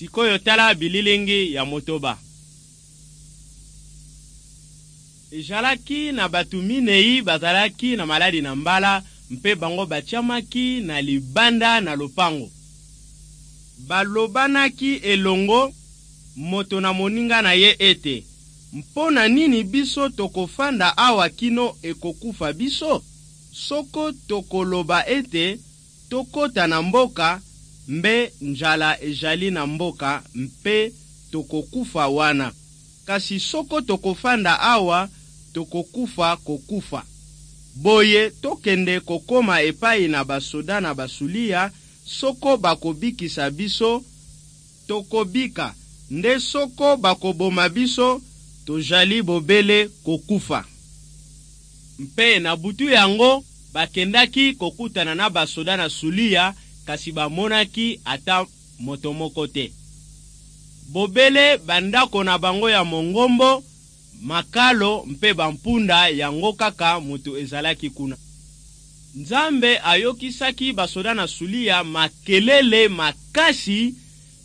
Sikoyo tala bililingi ya motoba. Ezalaki na bato minei bazalaki na maladi na mbala mpe bango batiamaki na libanda na lopango. Balobanaki elongo moto na moninga na ye ete, Mpo na nini biso tokofanda awa kino ekokufa biso? Soko tokoloba ete tokota na mboka, mbe njala ejali na mboka mpe tokokufa wana. Kasi soko tokofanda awa, tokokufa kokufa. Boye tokende kokoma epai na basoda na Basulia, soko bakobikisa biso, tokobika, nde soko bakoboma biso, tojali bobele kokufa. Mpe na butu yango bakendaki kokutana na basoda na Sulia, kasi bamonaki ata moto moko te. Bobele bandako na bango ya mongombo, makalo mpe bampunda yango kaka moto ezalaki kuna. Nzambe ayokisaki basoda na Sulia makelele makasi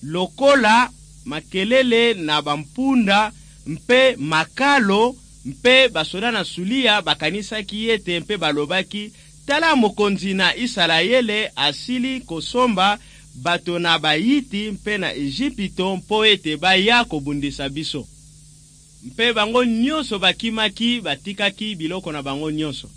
lokola makelele na bampunda mpe makalo, mpe basoda na Sulia bakanisaki ete mpe balobaki, Tala mokonzi na Isalaele asili kosomba bato na Bayiti mpe na Ejipito mpo ete baya kobundisa biso. Mpe bango nyonso bakimaki, batikaki biloko na bango nyonso.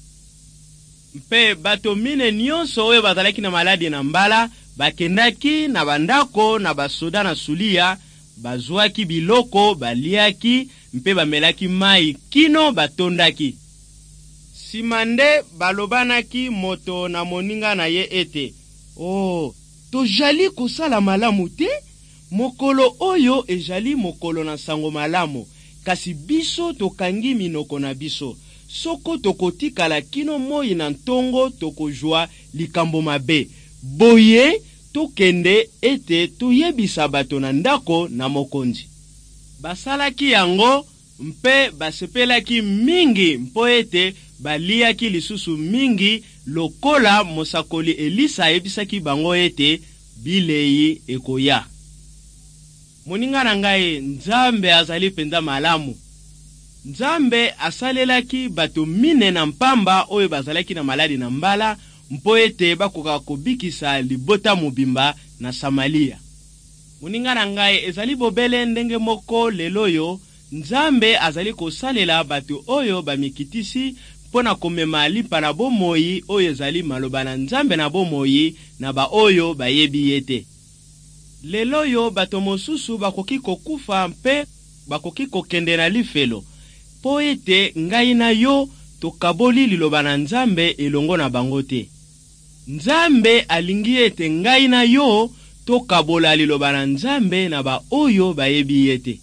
Mpe bato mine nyonso oyo bazalaki na maladi na mbala bakendaki na bandako na basoda na Sulia, bazwaki biloko, baliaki mpe bamelaki mai kino batondaki. Sima nde balobanaki moto na moninga na ye ete, O, tojali kosala malamu te? Mokolo oyo ejali mokolo na nsango malamu, kasi biso tokangi minoko na biso. Soko tokotikala kino moi na ntongo, tokozwa likambo mabe. Boye tokende ete toyebisa bato na ndako na mokonzi. Basalaki yango mpe basepelaki mingi mpo ete baliaki lisusu mingi, lokola mosakoli Elisa ayebisaki bango ete bilei ekoya. Moninga na ngai, Nzambe azali mpenza malamu. Nzambe asalelaki bato mine na mpamba oyo bazalaki na maladi na mbala mpo ete bakoka kobikisa libota mobimba na Samalia. Moninga na ngai, ezali bobele ndenge moko lelo oyo Nzambe azali kosalela bato oyo bamikitisi mpo na komema lipa na bomoi oyo ezali maloba na Nzambe na bomoi na baoyo bayebi ye te. Lelo oyo bato mosusu bakoki kokufa mpe bakoki kokende na lifelo mpo ete ngai na yo tokaboli liloba na Nzambe elongo na bango te. Nzambe alingi ete ngai na yo tokabola liloba na Nzambe na baoyo bayebi ye te.